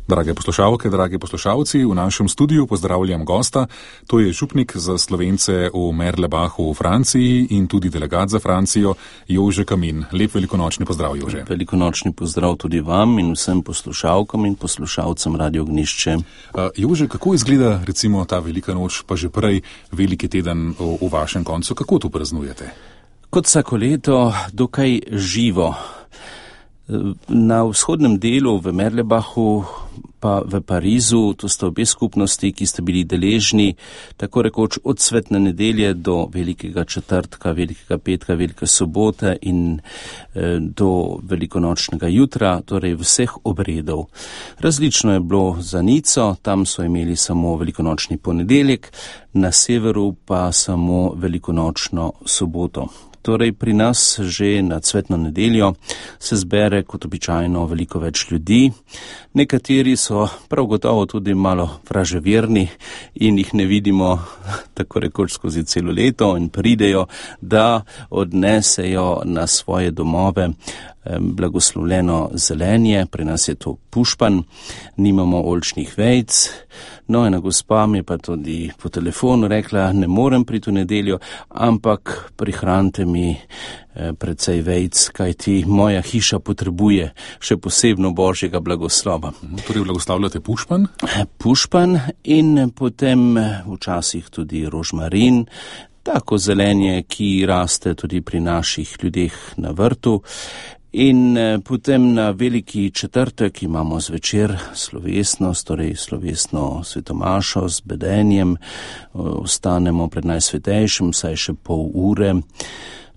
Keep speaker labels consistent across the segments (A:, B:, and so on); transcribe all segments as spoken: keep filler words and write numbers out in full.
A: Drage poslušalke, dragi poslušalci, v našem studiu pozdravljam gosta. To je župnik za Slovence v Merlebachu v Franciji in tudi delegat za Francijo, Jože Kamin. Lep velikonočni pozdrav, Jože.
B: Velikonočni pozdrav tudi vam in vsem poslušalkam in poslušalcem Radio Ognišče.
A: Uh, Jože, kako izgleda recimo ta velika noč, pa že prej veliki teden v, v vašem koncu? Kako to praznujete?
B: Kot vsako leto, dokaj živo. Na vzhodnem delu v Merlebachu pa v Parizu, to sta obe skupnosti, ki sta bili deležni tako rekoč od svetne nedelje do velikega četrtka, velikega petka, velike sobote in eh, do velikonočnega jutra, torej vseh obredov. Različno je bilo za Nico, tam so imeli samo velikonočni ponedeljek, na severu pa samo velikonočno soboto. Torej pri nas že na cvetno nedeljo se zbere kot običajno veliko več ljudi. Nekateri so prav gotovo tudi malo vraževerni in jih ne vidimo tako rekoč skozi celo leto in pridejo, da odnesejo na svoje domove blagoslovljeno zelenje, pri nas je to pušpan, nimamo oljčnih vejc. No, ena gospa mi je pa tudi po telefonu rekla, ne morem priti v nedeljo, ampak prihranite mi precej vejc, kajti moja hiša potrebuje še posebno božjega blagoslova.
A: Torej blagoslavljate pušpan?
B: Pušpan in potem včasih tudi rožmarin, tako zelenje, ki raste tudi pri naših ljudeh na vrtu. In potem na veliki četrtek imamo zvečer slovesnost, torej slovesno svetomašo z bedenjem, ostanemo pred najsvetejšim, saj še pol ure.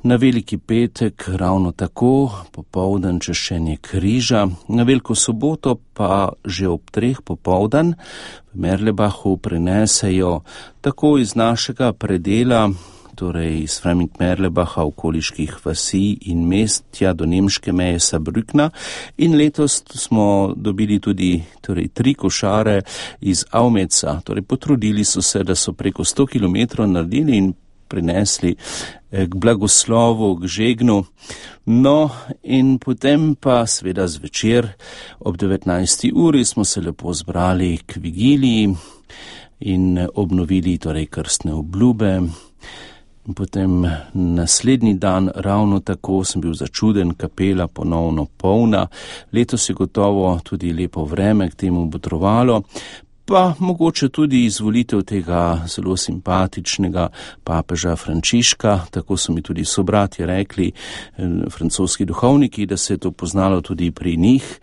B: Na veliki petek ravno tako, popoldan češčenje križa, na veliko soboto pa že ob treh popoldan v Merlebachu prinesejo tako iz našega predela, torej iz Freming-Merlebacha, okoliških vasi in mest, tja do nemške meje Saarbrückna. In letos smo dobili tudi torej, tri košare iz Aumeca. Torej, potrudili so se, da so preko sto kilometrov naredili in prinesli k blagoslovu, k žegnu. No, in potem pa seveda zvečer ob devetnajsti uri smo se lepo zbrali k vigiliji in obnovili torej krstne obljube. In potem naslednji dan ravno tako sem bil začuden, kapela ponovno polna. Letos je gotovo tudi lepo vreme k temu botrovalo, pa mogoče tudi izvolitev tega zelo simpatičnega papeža Frančiška, tako so mi tudi sobratje rekli, francoski duhovniki, da se je to poznalo tudi pri njih,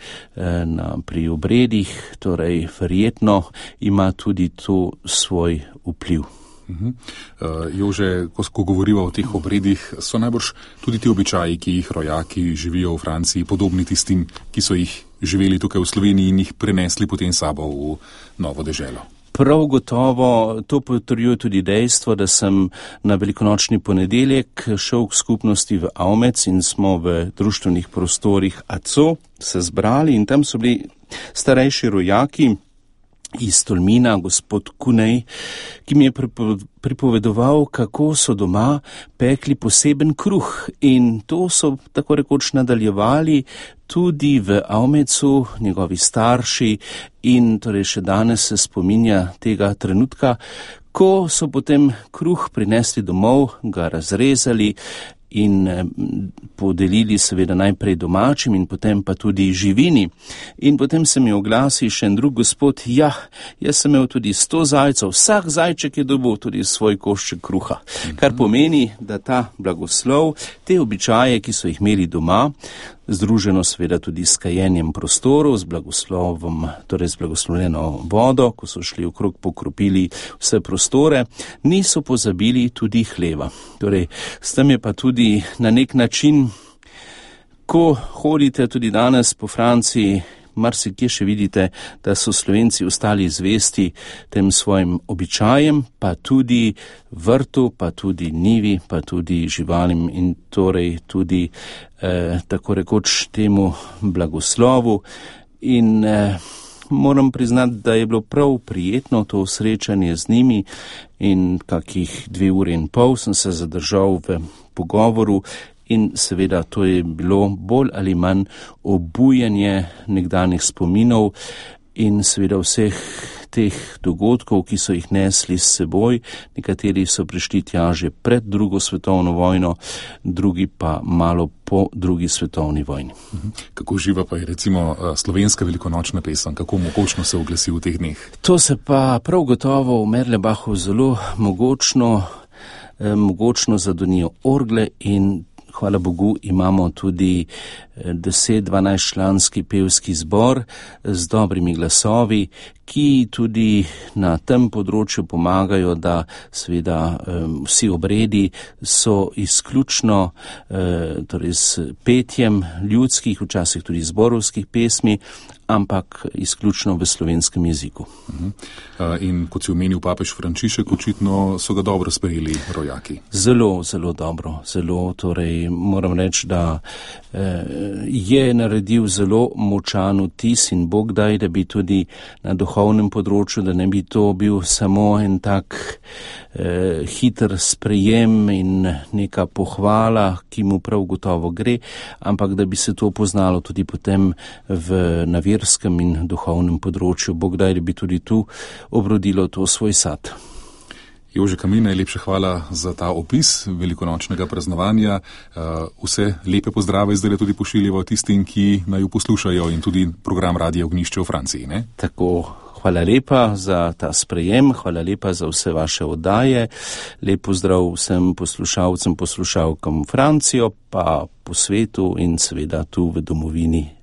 B: na, pri obredih, torej verjetno ima tudi to svoj vpliv.
A: Uh-huh. Uh, Jože, ko, ko govoriva o teh obredih, so najbrž tudi ti običaji, ki jih rojaki živijo v Franciji, podobni tistim, ki so jih živeli tukaj v Sloveniji in jih prenesli potem sabo v novo deželo.
B: Prav gotovo to potrjuje tudi dejstvo, da sem na velikonočni ponedeljek šel k skupnosti v Aumec in smo v društvenih prostorih A C O se zbrali in tam so bili starejši rojaki iz Tolmina, gospod Kunej, ki mi je pripovedoval, kako so doma pekli poseben kruh in to so tako rekoč nadaljevali tudi v Aumecu, njegovi starši in torej še danes se spominja tega trenutka, ko so potem kruh prinesli domov, ga razrezali in podelili seveda najprej domačim in potem pa tudi živini. In potem se mi oglasi še en drug gospod, ja, jaz sem imel tudi sto zajcev, vsak zajček je dobil tudi svoj košček kruha. Kar pomeni, da ta blagoslov, te običaje, ki so jih imeli doma, združeno seveda tudi s kajenjem prostorov, z blagoslovom, torej z blagoslovljeno vodo, ko so šli okrog pokropili vse prostore, niso pozabili tudi hleva. Torej, s tem je pa tudi na nek način, ko hodite tudi danes po Franciji, marsikje še vidite, da so Slovenci ostali zvesti tem svojim običajem, pa tudi vrtu, pa tudi njivi, pa tudi živalim in torej tudi eh, tako rekoč temu blagoslovu. In eh, moram priznati, da je bilo prav prijetno to srečanje z njimi in kakih dve uri in pol sem se zadržal v pogovoru. In seveda to je bilo bolj ali manj obujanje nekdanjih spominov in seveda vseh teh dogodkov, ki so jih nesli s seboj. Nekateri so prišli tja že pred drugo svetovno vojno, drugi pa malo po drugi svetovni vojni.
A: Kako živa pa je recimo slovenska velikonočna pesem, kako mogočno se oglasi v teh dneh?
B: To se pa prav gotovo v Merlebachu zelo mogočno, eh, mogočno zadonijo orgle in hvala Bogu imamo tudi deset dvanajst članski pevski zbor z dobrimi glasovi, ki tudi na tem področju pomagajo, da seveda vsi obredi so izključno torej s petjem ljudskih, včasih tudi zborovskih pesmi, ampak izključno v slovenskem jeziku.
A: In kot si omenil papež Frančišek, očitno so ga dobro sprejeli rojaki.
B: Zelo, zelo dobro, zelo, torej moram reči, da je naredil zelo močan vtis in Bog daj, da bi tudi na duhovnem področju, da ne bi to bil samo en tak eh, hiter sprejem in neka pohvala, ki mu prav gotovo gre, ampak da bi se to poznalo tudi potem v naverskem in duhovnem področju. Bog daj, da bi tudi tu obrodilo to svoj sad.
A: Jože Kamin, najlepša hvala za ta opis velikonočnega praznovanja. Vse lepe pozdrave zdaj tudi pošiljamo tistim, ki naju poslušajo in tudi program Radia Ognjišče v Franciji, ne?
B: Tako, hvala lepa za ta sprejem, hvala lepa za vse vaše oddaje. Lep pozdrav vsem poslušalcem, poslušalkam Francijo, pa po svetu in seveda tu v domovini